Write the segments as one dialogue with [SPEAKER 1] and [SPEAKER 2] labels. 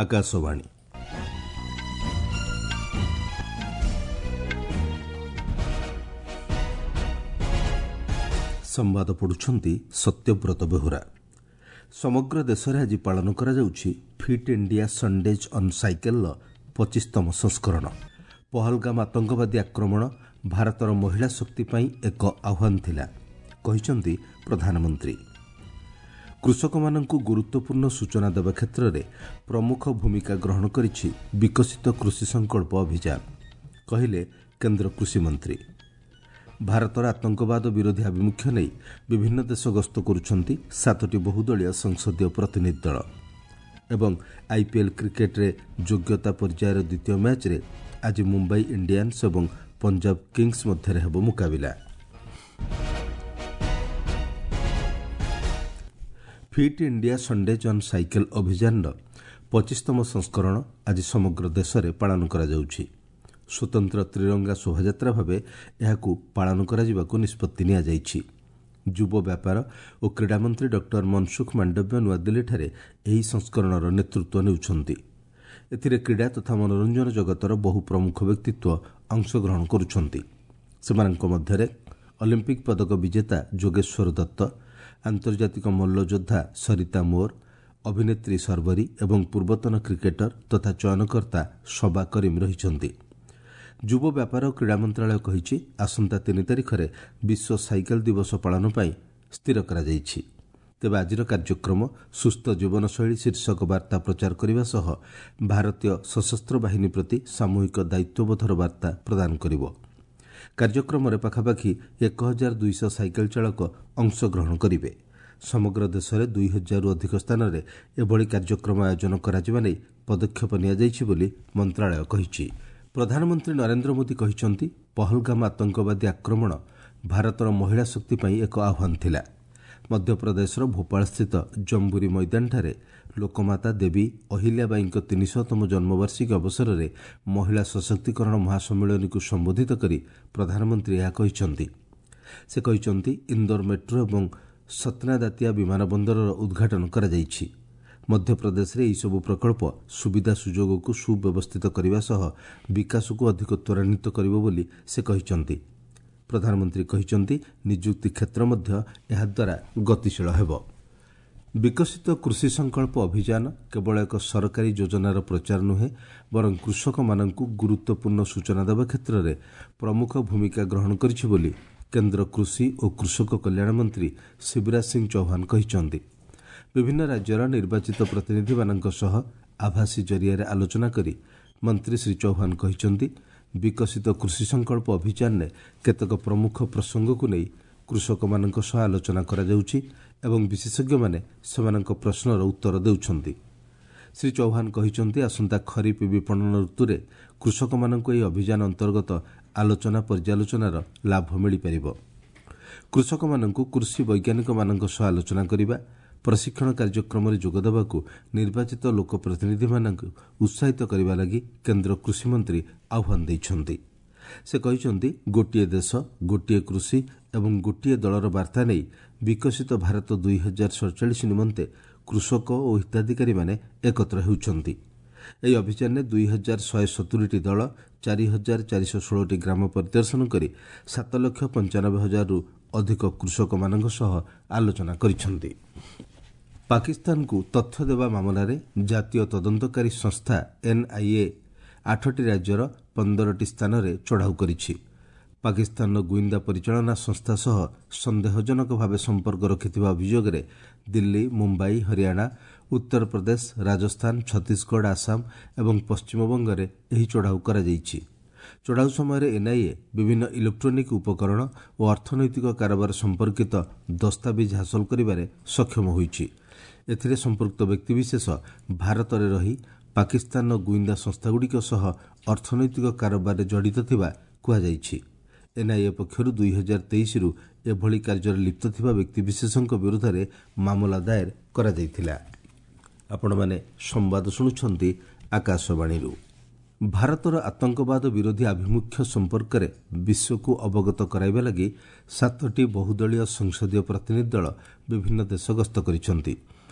[SPEAKER 1] ଆକାଶବାଣୀ। ସମ୍ବାଦ ପଢୁଛନ୍ତି ସତ୍ୟବ୍ରତ ବେହୁରା। ସମଗ୍ର ଦେଶରେ ଆଜି ପାଳନ କରାଯାଉଛି ଫିଟ୍ ଇଣ୍ଡିଆ ସନ୍ଡେଜ୍ ଅନ୍ ସାଇକେଲର 25ତମ ସଂସ୍କରଣ। ପହଲଗାମ ଆତଙ୍କବାଦୀ ଆକ୍ରମଣ ଭାରତର ମହିଳା ଶକ୍ତି ପାଇଁ ଏକ ଆହ୍ୱାନ ଥିଲା, କହିଛନ୍ତି ପ୍ରଧାନମନ୍ତ୍ରୀ। କୃଷକମାନଙ୍କୁ ଗୁରୁତ୍ୱପୂର୍ଣ୍ଣ ସୂଚନା ଦେବା କ୍ଷେତ୍ରରେ ପ୍ରମୁଖ ଭୂମିକା ଗ୍ରହଣ କରିଛି ବିକଶିତ କୃଷି ସଂକଳ୍ପ ଅଭିଯାନ, କହିଲେ କେନ୍ଦ୍ର କୃଷିମନ୍ତ୍ରୀ। ଭାରତର ଆତଙ୍କବାଦ ବିରୋଧୀ ଆଭିମୁଖ୍ୟ ନେଇ ବିଭିନ୍ନ ଦେଶ ଗସ୍ତ କରୁଛନ୍ତି 7ଟି ବହୁଦଳୀୟ ସଂସଦୀୟ ପ୍ରତିନିଧି ଦଳ। ଏବଂ ଆଇପିଏଲ୍ କ୍ରିକେଟ୍ରେ ଯୋଗ୍ୟତା ପର୍ଯ୍ୟାୟର ଦ୍ୱିତୀୟ ମ୍ୟାଚ୍ରେ ଆଜି ମୁମ୍ବାଇ ଇଣ୍ଡିଆନ୍ସ ଏବଂ ପଞ୍ଜାବ କିଙ୍ଗସ୍ ମଧ୍ୟରେ ହେବ ମୁକାବିଲା। Fit India Sundays on cycle ଅଭିଯାନର 25ତମ ସଂସ୍କରଣ ଆଜି ସମଗ୍ର ଦେଶରେ ପାଳନ କରାଯାଉଛି। ସ୍ୱତନ୍ତ୍ର ତ୍ରିରଙ୍ଗା ଶୋଭାଯାତ୍ରା ଭାବେ ଏହାକୁ ପାଳନ କରାଯିବାକୁ ନିଷ୍ପତ୍ତି ନିଆଯାଇଛି। ଯୁବ ବ୍ୟାପାର ଓ କ୍ରୀଡ଼ାମନ୍ତ୍ରୀ ଡକ୍ଟର ମନସୁଖ ମାଣ୍ଡବ୍ୟ ନୂଆଦିଲ୍ଲୀଠାରେ ଏହି ସଂସ୍କରଣର ନେତୃତ୍ୱ ନେଉଛନ୍ତି। ଏଥିରେ କ୍ରୀଡ଼ା ତଥା ମନୋରଞ୍ଜନ ଜଗତର ବହୁ ପ୍ରମୁଖ ବ୍ୟକ୍ତିତ୍ୱ ଅଂଶଗ୍ରହଣ କରୁଛନ୍ତି। ସେମାନଙ୍କ ମଧ୍ୟରେ ଅଲିମ୍ପିକ୍ ପଦକ ବିଜେତା ଯୋଗେଶ୍ୱର ଦତ୍ତ, ଆନ୍ତର୍ଜାତିକ ମଲ୍ଲଯୋଦ୍ଧା ସରିତା ମୋର୍, ଅଭିନେତ୍ରୀ ସର୍ବରୀ ଏବଂ ପୂର୍ବତନ କ୍ରିକେଟର ତଥା ଚୟନକର୍ତ୍ତା ସବା କରିମ୍ ରହିଛନ୍ତି। ଯୁବ ବ୍ୟାପାର ଓ କ୍ରୀଡ଼ା ମନ୍ତ୍ରଣାଳୟ କହିଛି, ଆସନ୍ତା 3 ତାରିଖରେ ବିଶ୍ୱ ସାଇକେଲ ଦିବସ ପାଳନ ପାଇଁ ସ୍ଥିର କରାଯାଇଛି। ତେବେ ଆଜିର କାର୍ଯ୍ୟକ୍ରମ ସୁସ୍ଥ ଜୀବନଶୈଳୀ ଶୀର୍ଷକ ବାର୍ତ୍ତା ପ୍ରଚାର କରିବା ସହ ଭାରତୀୟ ସଶସ୍ତ୍ର ବାହିନୀ ପ୍ରତି ସାମୂହିକ ଦାୟିତ୍ୱବୋଧର ବାର୍ତ୍ତା ପ୍ରଦାନ କରିବ। କାର୍ଯ୍ୟକ୍ରମରେ ପାଖାପାଖି 1200 ସାଇକେଲ ଚାଳକ ଅଂଶଗ୍ରହଣ କରିବେ। ସମଗ୍ର ଦେଶରେ 2000ରୁ ଅଧିକ ସ୍ଥାନରେ ଏଭଳି କାର୍ଯ୍ୟକ୍ରମ ଆୟୋଜନ କରାଯିବା ନେଇ ପଦକ୍ଷେପ ନିଆଯାଇଛି ବୋଲି ମନ୍ତ୍ରଣାଳୟ କହିଛି। ପ୍ରଧାନମନ୍ତ୍ରୀ ନରେନ୍ଦ୍ର ମୋଦି କହିଛନ୍ତି, ପହଲଗାମ ଆତଙ୍କବାଦୀ ଆକ୍ରମଣ ଭାରତର ମହିଳା ଶକ୍ତି ପାଇଁ ଏକ ଆହ୍ୱାନ ଥିଲା। ମଧ୍ୟପ୍ରଦେଶର ଭୋପାଳସ୍ଥିତ ଜମ୍ବୁରୀ ମଇଦାନଠାରେ ଲୋକମାତା ଦେବୀ ଅହିଲ୍ୟାବାଈଙ୍କ 300ତମ ଜନ୍ମବାର୍ଷିକୀ ଅବସରରେ ମହିଳା ସଶକ୍ତିକରଣ ମହାସମ୍ମିଳନୀକୁ ସମ୍ବୋଧିତ କରି ପ୍ରଧାନମନ୍ତ୍ରୀ ଏହା କହିଛନ୍ତି। ସେ କହିଛନ୍ତି, ଇନ୍ଦୋର ମେଟ୍ରୋ ଏବଂ ସତ୍ନା ଦାତିଆ ବିମାନ ବନ୍ଦରର ଉଦ୍ଘାଟନ କରାଯାଇଛି। ମଧ୍ୟପ୍ରଦେଶରେ ଏହିସବୁ ପ୍ରକଳ୍ପ ସୁବିଧା ସୁଯୋଗକୁ ସୁବ୍ୟବସ୍ଥିତ କରିବା ସହ ବିକାଶକୁ ଅଧିକ ତ୍ୱରାନ୍ୱିତ କରିବ ବୋଲି ସେ କହିଛନ୍ତି। ପ୍ରଧାନମନ୍ତ୍ରୀ କହିଛନ୍ତି, ନିଯୁକ୍ତି କ୍ଷେତ୍ର ମଧ୍ୟ ଏହାଦ୍ୱାରା ଗତିଶୀଳ ହେବ। ବିକଶିତ କୃଷି ସଂକଳ୍ପ ଅଭିଯାନ କେବଳ ଏକ ସରକାରୀ ଯୋଜନାର ପ୍ରଚାର ନୁହେଁ, ବରଂ କୃଷକମାନଙ୍କୁ ଗୁରୁତ୍ୱପୂର୍ଣ୍ଣ ସୂଚନା ଦେବା କ୍ଷେତ୍ରରେ ପ୍ରମୁଖ ଭୂମିକା ଗ୍ରହଣ କରିଛି ବୋଲି କେନ୍ଦ୍ର କୃଷି ଓ କୃଷକ କଲ୍ୟାଣ ମନ୍ତ୍ରୀ ଶିବରାଜ ସିଂ ଚୌହାନ କହିଛନ୍ତି। ବିଭିନ୍ନ ରାଜ୍ୟର ନିର୍ବାଚିତ ପ୍ରତିନିଧିମାନଙ୍କ ସହ ଆଭାସୀ ଜରିଆରେ ଆଲୋଚନା କରି ମନ୍ତ୍ରୀ ଶ୍ରୀ ଚୌହାନ କହିଛନ୍ତି, ବିକଶିତ କୃଷି ସଂକଳ୍ପ ଅଭିଯାନରେ କେତେକ ପ୍ରମୁଖ ପ୍ରସଙ୍ଗକୁ ନେଇ କୃଷକମାନଙ୍କ ସହ ଆଲୋଚନା କରାଯାଉଛି ଏବଂ ବିଶେଷଜ୍ଞମାନେ ସେମାନଙ୍କ ପ୍ରଶ୍ନର ଉତ୍ତର ଦେଉଛନ୍ତି। ଶ୍ରୀ ଚୌହାନ କହିଛନ୍ତି, ଆସନ୍ତା ଖରିଫ ବିପଣନ ଋତୁରେ କୃଷକମାନଙ୍କୁ ଏହି ଅଭିଯାନ ଅନ୍ତର୍ଗତ ଆଲୋଚନା ପର୍ଯ୍ୟାଲୋଚନାର ଲାଭ ମିଳିପାରିବ। କୃଷକମାନଙ୍କୁ କୃଷି ବୈଜ୍ଞାନିକମାନଙ୍କ ସହ ଆଲୋଚନା କରିବା, ପ୍ରଶିକ୍ଷଣ କାର୍ଯ୍ୟକ୍ରମରେ ଯୋଗଦେବାକୁ ନିର୍ବାଚିତ ଲୋକପ୍ରତିନିଧିମାନଙ୍କୁ ଉତ୍ସାହିତ କରିବା ଲାଗି କେନ୍ଦ୍ର କୃଷିମନ୍ତ୍ରୀ ଆହ୍ୱାନ ଦେଇଛନ୍ତି। ସେ କହିଛନ୍ତି, ଗୋଟିଏ ଦେଶ, ଗୋଟିଏ କୃଷି ଏବଂ ଗୋଟିଏ ଦଳର ବାର୍ତ୍ତା ନେଇ ବିକଶିତ ଭାରତ 2047 ନିମନ୍ତେ କୃଷକ ଓ ହିତାଧିକାରୀମାନେ ଏକତ୍ର ହେଉଛନ୍ତି। ଏହି ଅଭିଯାନରେ 2170ଟି ଦଳ 4416ଟି ଗ୍ରାମ ପରିଦର୍ଶନ କରି 7,95,000ରୁ ଅଧିକ କୃଷକମାନଙ୍କ ସହ ଆଲୋଚନା କରିଛନ୍ତି। ପାକିସ୍ତାନକୁ ତଥ୍ୟ ଦେବା ମାମଲାରେ ଜାତୀୟ ତଦନ୍ତକାରୀ ସଂସ୍ଥା ଏନ୍ଆଇଏ 8ଟି ରାଜ୍ୟର 15ଟି ସ୍ଥାନରେ ଚଢ଼ାଉ କରିଛି। ପାକିସ୍ତାନର ଗୁଇନ୍ଦା ପରିଚାଳନା ସଂସ୍ଥା ସହ ସନ୍ଦେହଜନକ ଭାବେ ସମ୍ପର୍କ ରଖିଥିବା ଅଭିଯୋଗରେ ଦିଲ୍ଲୀ, ମୁମ୍ବାଇ, ହରିୟାଣା, ଉତ୍ତରପ୍ରଦେଶ, ରାଜସ୍ଥାନ, ଛତିଶଗଡ଼, ଆସାମ ଏବଂ ପଶ୍ଚିମବଙ୍ଗରେ ଏହି ଚଢ଼ାଉ କରାଯାଇଛି। ଚଢ଼ାଉ ସମୟରେ ଏନ୍ଆଇଏ ବିଭିନ୍ନ ଇଲେକ୍ଟ୍ରୋନିକ୍ ଉପକରଣ ଓ ଅର୍ଥନୈତିକ କାରବାର ସମ୍ପର୍କିତ ଦସ୍ତାବିଜ୍ ହାସଲ କରିବାରେ ସକ୍ଷମ ହୋଇଛି। ଏଥିରେ ସମ୍ପୃକ୍ତ ବ୍ୟକ୍ତିବିଶେଷ ଭାରତରେ ରହି ପାକିସ୍ତାନର ଗୁଇନ୍ଦା ସଂସ୍ଥାଗୁଡ଼ିକ ସହ ଅର୍ଥନୈତିକ କାରବାରରେ ଜଡ଼ିତ ଥିବା କୁହାଯାଇଛି। ଏନ୍ଆଇଏ ପକ୍ଷରୁ 2023ରୁ ଏଭଳି କାର୍ଯ୍ୟରେ ଲିପ୍ତ ଥିବା ବ୍ୟକ୍ତିବିଶେଷଙ୍କ ବିରୋଧରେ ମାମଲା ଦାଏର କରାଯାଇଥିଲା। ଆପଣମାନେ ସମ୍ବାଦ ଶୁଣୁଛନ୍ତି ଆକାଶବାଣୀରୁ। ଭାରତର ଆତଙ୍କବାଦ ବିରୋଧୀ ଆଭିମୁଖ୍ୟ ସମ୍ପର୍କରେ ବିଶ୍ୱକୁ ଅବଗତ କରାଇବା ଲାଗି 7ଟି ବହୁଦଳୀୟ ସଂସଦୀୟ ପ୍ରତିନିଧି ଦଳ ବିଭିନ୍ନ ଦେଶ ଗସ୍ତ କରିଛନ୍ତି।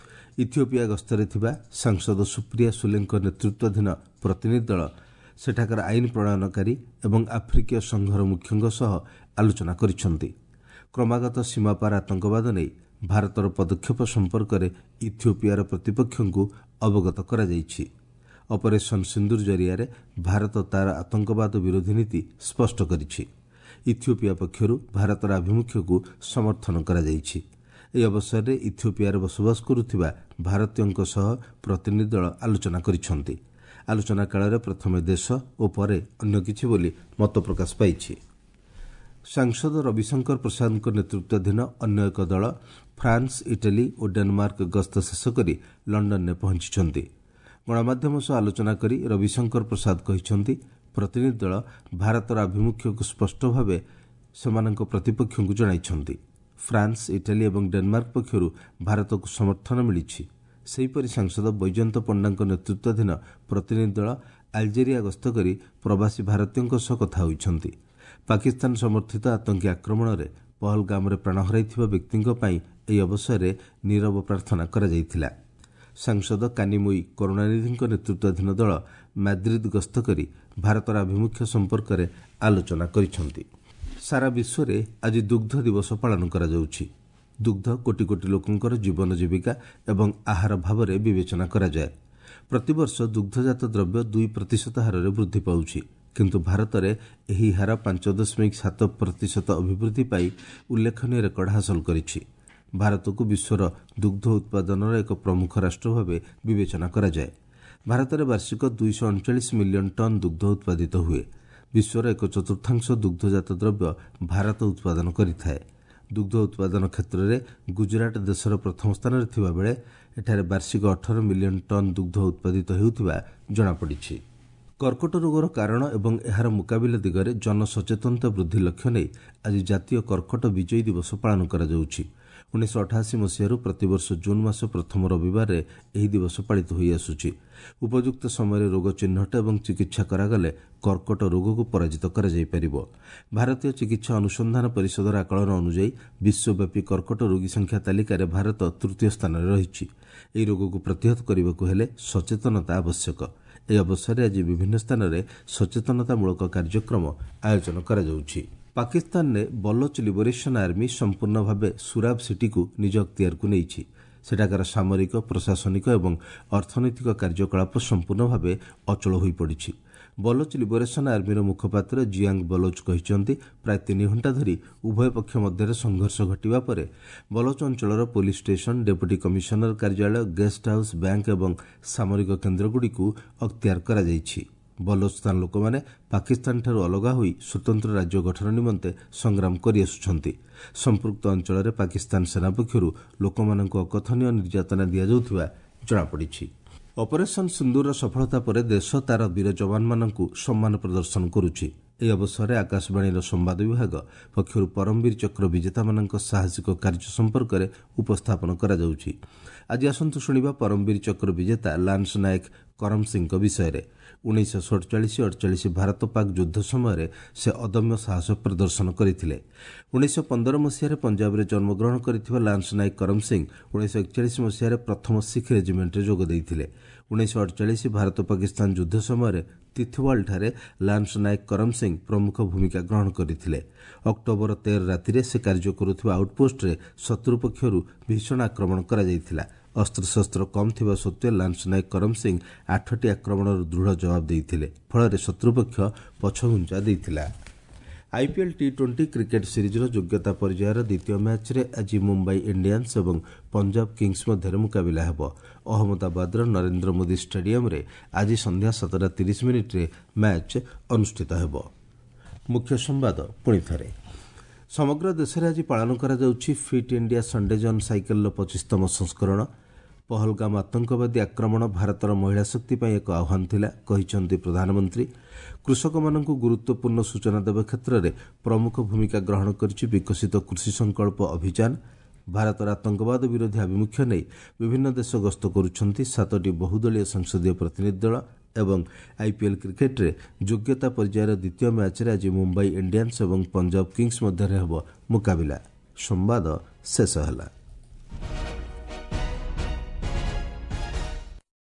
[SPEAKER 1] ଇଥିଓପିଆ ଗସ୍ତରେ ଥିବା ସାଂସଦ ସୁପ୍ରିୟା ସୁଲେଙ୍କ ନେତୃତ୍ୱାଧୀନ ପ୍ରତିନିଧି ଦଳ ସେଠାକାର ଆଇନ ପ୍ରଣୟନକାରୀ ଏବଂ ଆଫ୍ରିକୀୟ ସଂଘର ମୁଖ୍ୟଙ୍କ ସହ ଆଲୋଚନା କରିଛନ୍ତି। କ୍ରମାଗତ ସୀମାପାର ଆତଙ୍କବାଦ ନେଇ ଭାରତର ପଦକ୍ଷେପ ସମ୍ପର୍କରେ ଇଥିଓପିଆର ପ୍ରତିପକ୍ଷଙ୍କୁ ଅବଗତ କରାଯାଇଛି। ଅପରେସନ୍ ସିନ୍ଦୁର ଜରିଆରେ ଭାରତ ତା'ର ଆତଙ୍କବାଦ ବିରୋଧୀ ନୀତି ସ୍ପଷ୍ଟ କରିଛି। ଇଥିଓପିଆ ପକ୍ଷରୁ ଭାରତର ଆଭିମୁଖ୍ୟକୁ ସମର୍ଥନ କରାଯାଇଛି। ଏହି ଅବସରରେ ଇଥିଓପିଆରେ ବସବାସ କରୁଥିବା ଭାରତୀୟଙ୍କ ସହ ପ୍ରତିନିଧି ଦଳ ଆଲୋଚନା କରିଛନ୍ତି। ଆଲୋଚନା କାଳରେ ପ୍ରଥମେ ଦେଶ ଓ ପରେ ଅନ୍ୟ କିଛି ବୋଲି ମତ ପ୍ରକାଶ ପାଇଛି। ସାଂସଦ ରବିଶଙ୍କର ପ୍ରସାଦଙ୍କ ନେତୃତ୍ୱାଧୀନ ଅନ୍ୟ ଏକ ଦଳ ଫ୍ରାନ୍ସ, ଇଟାଲୀ ଓ ଡେନମାର୍କ ଗସ୍ତ ଶେଷ କରି ଲଣ୍ଡନରେ ପହଞ୍ଚିଛନ୍ତି। ଗଣମାଧ୍ୟମ ସହ ଆଲୋଚନା କରି ରବିଶଙ୍କର ପ୍ରସାଦ କହିଛନ୍ତି, ପ୍ରତିନିଧି ଦଳ ଭାରତର ଆଭିମୁଖ୍ୟକୁ ସ୍ପଷ୍ଟ ଭାବେ ସେମାନଙ୍କ ପ୍ରତିପକ୍ଷଙ୍କୁ ଜଣାଇଛନ୍ତି। ଫ୍ରାନ୍ସ, ଇଟାଲୀ ଏବଂ ଡେନମାର୍କ ପକ୍ଷରୁ ଭାରତକୁ ସମର୍ଥନ ମିଳିଛି। ସେହିପରି ସାଂସଦ ବୈଜୟନ୍ତ ପଣ୍ଡାଙ୍କ ନେତୃତ୍ୱାଧୀନ ପ୍ରତିନିଧି ଦଳ ଆଲଜେରିଆ ଗସ୍ତ କରି ପ୍ରବାସୀ ଭାରତୀୟଙ୍କ ସହ କଥା ହୋଇଛନ୍ତି। ପାକିସ୍ତାନ ସମର୍ଥିତ ଆତଙ୍କୀ ଆକ୍ରମଣରେ ପହଲଗାମରେ ପ୍ରାଣ ହରାଇଥିବା ବ୍ୟକ୍ତିଙ୍କ ପାଇଁ ଏହି ଅବସରରେ ନିରବ ପ୍ରାର୍ଥନା କରାଯାଇଥିଲା। ସାଂସଦ କାନିମୋଇ କରୁଣାନିଧିଙ୍କ ନେତୃତ୍ୱାଧୀନ ଦଳ ମାଦ୍ରିଦ ଗସ୍ତ କରି ଭାରତର ଆଭିମୁଖ୍ୟ ସମ୍ପର୍କରେ ଆଲୋଚନା କରିଛନ୍ତି। ସାରା ବିଶ୍ୱରେ ଆଜି ଦୁଗ୍ଧ ଦିବସ ପାଳନ କରାଯାଉଛି। ଦୁଗ୍ଧ କୋଟି କୋଟି ଲୋକଙ୍କର ଜୀବନ ଜୀବିକା ଏବଂ ଆହାର ଭାବରେ ବିବେଚନା କରାଯାଏ। ପ୍ରତିବର୍ଷ ଦୁଗ୍ଧଜାତ ଦ୍ରବ୍ୟ 2% ହାରରେ ବୃଦ୍ଧି ପାଉଛି, କିନ୍ତୁ ଭାରତରେ ଏହି ହାର 5.7% ଅଭିବୃଦ୍ଧି ପାଇ ଉଲ୍ଲେଖନୀୟ ରେକର୍ଡ ହାସଲ କରିଛି। ଭାରତକୁ ବିଶ୍ୱର ଦୁଗ୍ଧ ଉତ୍ପାଦନର ଏକ ପ୍ରମୁଖ ରାଷ୍ଟ୍ର ଭାବେ ବିବେଚନା କରାଯାଏ। ଭାରତରେ ବାର୍ଷିକ 239 ମିଲିୟନ ଟନ୍ ଦୁଗ୍ଧ ଉତ୍ପାଦିତ ହୁଏ। ବିଶ୍ୱର 1/4 ଦୁଗ୍ଧଜାତ ଦ୍ରବ୍ୟ ଭାରତ ଉତ୍ପାଦନ କରିଥାଏ। ଦୁଗ୍ଧ ଉତ୍ପାଦନ କ୍ଷେତ୍ରରେ ଗୁଜରାଟ ଦେଶର ପ୍ରଥମ ସ୍ଥାନରେ ଥିବାବେଳେ ଏଠାରେ ବାର୍ଷିକ 18 ମିଲିୟନ ଟନ୍ ଦୁଗ୍ଧ ଉତ୍ପାଦିତ ହେଉଥିବା ଜଣାପଡ଼ିଛି। କର୍କଟ ରୋଗର କାରଣ ଏବଂ ଏହାର ମୁକାବିଲା ଦିଗରେ ଜନସଚେତନତା ବୃଦ୍ଧି ଲକ୍ଷ୍ୟ ନେଇ ଆଜି ଜାତୀୟ କର୍କଟ ବିଜୟୀ ଦିବସ ପାଳନ କରାଯାଉଛି। 1988 ମସିହାରୁ ପ୍ରତିବର୍ଷ ଜୁନ୍ ମାସ ପ୍ରଥମ ରବିବାରରେ ଏହି ଦିବସ ପାଳିତ ହୋଇଆସୁଛି। ଉପଯୁକ୍ତ ସମୟରେ ରୋଗ ଚିହ୍ନଟ ଏବଂ ଚିକିତ୍ସା କରାଗଲେ କର୍କଟ ରୋଗକୁ ପରାଜିତ କରାଯାଇପାରିବ। ଭାରତୀୟ ଚିକିତ୍ସା ଅନୁସନ୍ଧାନ ପରିଷଦର ଆକଳନ ଅନୁଯାୟୀ ବିଶ୍ୱବ୍ୟାପୀ କର୍କଟ ରୋଗୀ ସଂଖ୍ୟା ତାଲିକାରେ ଭାରତ ତୃତୀୟ ସ୍ଥାନରେ ରହିଛି। ଏହି ରୋଗକୁ ପ୍ରତିହତ କରିବାକୁ ହେଲେ ସଚେତନତା ଆବଶ୍ୟକ। ଏହି ଅବସରରେ ଆଜି ବିଭିନ୍ନ ସ୍ଥାନରେ ସଚେତନତାମୂଳକ କାର୍ଯ୍ୟକ୍ରମ ଆୟୋଜନ କରାଯାଉଛି। ପାକିସ୍ତାନରେ ବଲୋଚ ଲିବରେସନ୍ ଆର୍ମି ସମ୍ପୂର୍ଣ୍ଣ ଭାବେ ସୁରାବ ସିଟିକୁ ନିଜ ଅକ୍ତିଆରକୁ ନେଇଛି। ସେଠାକାର ସାମରିକ, ପ୍ରଶାସନିକ ଏବଂ ଅର୍ଥନୈତିକ କାର୍ଯ୍ୟକଳାପ ସମ୍ପୂର୍ଣ୍ଣ ଭାବେ ଅଚଳ ହୋଇପଡ଼ିଛି। ବଲୋଚ ଲିବରେସନ୍ ଆର୍ମିର ମୁଖପାତ୍ର ଜିଆଙ୍ଗ ବଲୋଚ କହିଛନ୍ତି, ପ୍ରାୟ 3 ଘଣ୍ଟା ଧରି ଉଭୟ ପକ୍ଷ ମଧ୍ୟରେ ସଂଘର୍ଷ ଘଟିବା ପରେ ବଲୋଚ ଅଞ୍ଚଳର ପୋଲିସ ଷ୍ଟେସନ, ଡେପୁଟି କମିଶନର କାର୍ଯ୍ୟାଳୟ, ଗେଷ୍ଟ ହାଉସ୍, ବ୍ୟାଙ୍କ ଏବଂ ସାମରିକ କେନ୍ଦ୍ରଗୁଡ଼ିକୁ ଅକ୍ତିଆର କରାଯାଇଛି। ବଲୋଚସ୍ତାନ ଲୋକମାନେ ପାକିସ୍ତାନଠାରୁ ଅଲଗା ହୋଇ ସ୍ୱତନ୍ତ୍ର ରାଜ୍ୟ ଗଠନ ନିମନ୍ତେ ସଂଗ୍ରାମ କରିଆସୁଛନ୍ତି। ସମ୍ପୃକ୍ତ ଅଞ୍ଚଳରେ ପାକିସ୍ତାନ ସେନା ପକ୍ଷରୁ ଲୋକମାନଙ୍କୁ ଅକଥନୀୟ ନିର୍ଯାତନା ଦିଆଯାଉଥିବା ଜଣାପଡ଼ିଛି। ଅପରେସନ୍ ସିନ୍ଦୁରର ସଫଳତା ପରେ ଦେଶ ତା'ର ବୀର ଯବାନମାନଙ୍କୁ ସମ୍ମାନ ପ୍ରଦର୍ଶନ କରୁଛି। ଏହି ଅବସରରେ ଆକାଶବାଣୀର ସମ୍ବାଦ ବିଭାଗ ପକ୍ଷରୁ ପରମବୀର ଚକ୍ର ବିଜେତାମାନଙ୍କ ସାହସିକ କାର୍ଯ୍ୟ ସମ୍ପର୍କରେ ଉପସ୍ଥାପନ କରାଯାଉଛି। ଆଜି ଆସନ୍ତୁ ଶୁଣିବା ପରମବୀର ଚକ୍ର ବିଜେତା ଲାନ୍ସ ନାୟକ କରମ ସିଂଙ୍କ ବିଷୟରେ। 1947-48 ଭାରତ ପାକ୍ ଯୁଦ୍ଧ ସମୟରେ ସେ ଅଦମ୍ୟ ସାହସ ପ୍ରଦର୍ଶନ କରିଥିଲେ। 1915 ମସିହାରେ ପଞ୍ଜାବରେ ଜନ୍ମଗ୍ରହଣ କରିଥିବା ଲାନ୍ସ ନାୟକ କରମ ସିଂ 1941 ମସିହାରେ ପ୍ରଥମ ଶିଖ୍ ରେଜିମେଣ୍ଟରେ ଯୋଗ ଦେଇଥିଲେ। 1948 ଭାରତ ପାକିସ୍ତାନ ଯୁଦ୍ଧ ସମୟରେ ତିଥୱାଲଠାରେ ଲାନ୍ସ ନାୟକ କରମ ସିଂ ପ୍ରମୁଖ ଭୂମିକା ଗ୍ରହଣ କରିଥିଲେ। ଅକ୍ଟୋବର 13 ରାତିରେ ସେ କାର୍ଯ୍ୟ କରୁଥିବା ଆଉଟପୋଷ୍ଟରେ ଶତ୍ରୁ ପକ୍ଷରୁ ଭୀଷଣ ଆକ୍ରମଣ କରାଯାଇଥିଲା। ଅସ୍ତ୍ରଶସ୍ତ୍ର କମ୍ ଥିବା ସତ୍ତ୍ୱେ ଲାନ୍ସ ନାୟକ କରମ ସିଂ 8ଟି ଆକ୍ରମଣର ଦୃଢ଼ ଜବାବ ଦେଇଥିଲେ। ଫଳରେ ଶତ୍ରୁପକ୍ଷ ପଛଘୁଞ୍ଚା ଦେଇଥିଲା। ଆଇପିଏଲ୍ ଟି-20 କ୍ରିକେଟ୍ ସିରିଜ୍ର ଯୋଗ୍ୟତା ପର୍ଯ୍ୟାୟର ଦ୍ୱିତୀୟ ମ୍ୟାଚ୍ରେ ଆଜି ମୁମ୍ବାଇ ଇଣ୍ଡିଆନ୍ସ ଏବଂ ପଞ୍ଜାବ କିଙ୍ଗସ୍ ମଧ୍ୟରେ ମୁକାବିଲା ହେବ। ଅହମ୍ମଦାବାଦର ନରେନ୍ଦ୍ର ମୋଦି ଷ୍ଟାଡିୟମ୍ରେ ଆଜି ସନ୍ଧ୍ୟା 7:30 ମ୍ୟାଚ୍ ଅନୁଷ୍ଠିତ ହେବ। ମୁଖ୍ୟ ସମ୍ବାଦ ପୁଣିଥରେ। ସମଗ୍ର ଦେଶରେ ଆଜି ପାଳନ କରାଯାଉଛି ଫିଟ୍ ଇଣ୍ଡିଆ ସଣ୍ଡେଜ୍ ଅନ୍ ସାଇକେଲର 25ତମ ସଂସ୍କରଣ। ପହଲଗାମ ଆତଙ୍କବାଦୀ ଆକ୍ରମଣ ଭାରତର ମହିଳା ଶକ୍ତି ପାଇଁ ଏକ ଆହ୍ୱାନ ଥିଲା, କହିଛନ୍ତି ପ୍ରଧାନମନ୍ତ୍ରୀ। କୃଷକମାନଙ୍କୁ ଗୁରୁତ୍ୱପୂର୍ଣ୍ଣ ସୂଚନା ଦେବା କ୍ଷେତ୍ରରେ ପ୍ରମୁଖ ଭୂମିକା ଗ୍ରହଣ କରିଛି ବିକଶିତ କୃଷି ସଂକଳ୍ପ ଅଭିଯାନ। ଭାରତର ଆତଙ୍କବାଦ ବିରୋଧୀ ଆଭିମୁଖ୍ୟ ନେଇ ବିଭିନ୍ନ ଦେଶ ଗସ୍ତ କରୁଛନ୍ତି 7ଟି ବହୁଦଳୀୟ ସଂସଦୀୟ ପ୍ରତିନିଧି ଦଳ। ଏବଂ ଆଇପିଏଲ୍ କ୍ରିକେଟ୍ରେ ଯୋଗ୍ୟତା ପର୍ଯ୍ୟାୟର ଦ୍ୱିତୀୟ ମ୍ୟାଚ୍ରେ ଆଜି ମୁମ୍ବାଇ ଇଣ୍ଡିଆନ୍ସ ଏବଂ ପଞ୍ଜାବ କିଙ୍ଗସ୍ ମଧ୍ୟରେ ହେବ ମୁକାବିଲା। ସମ୍ବାଦ ଶେଷ ହେଲା।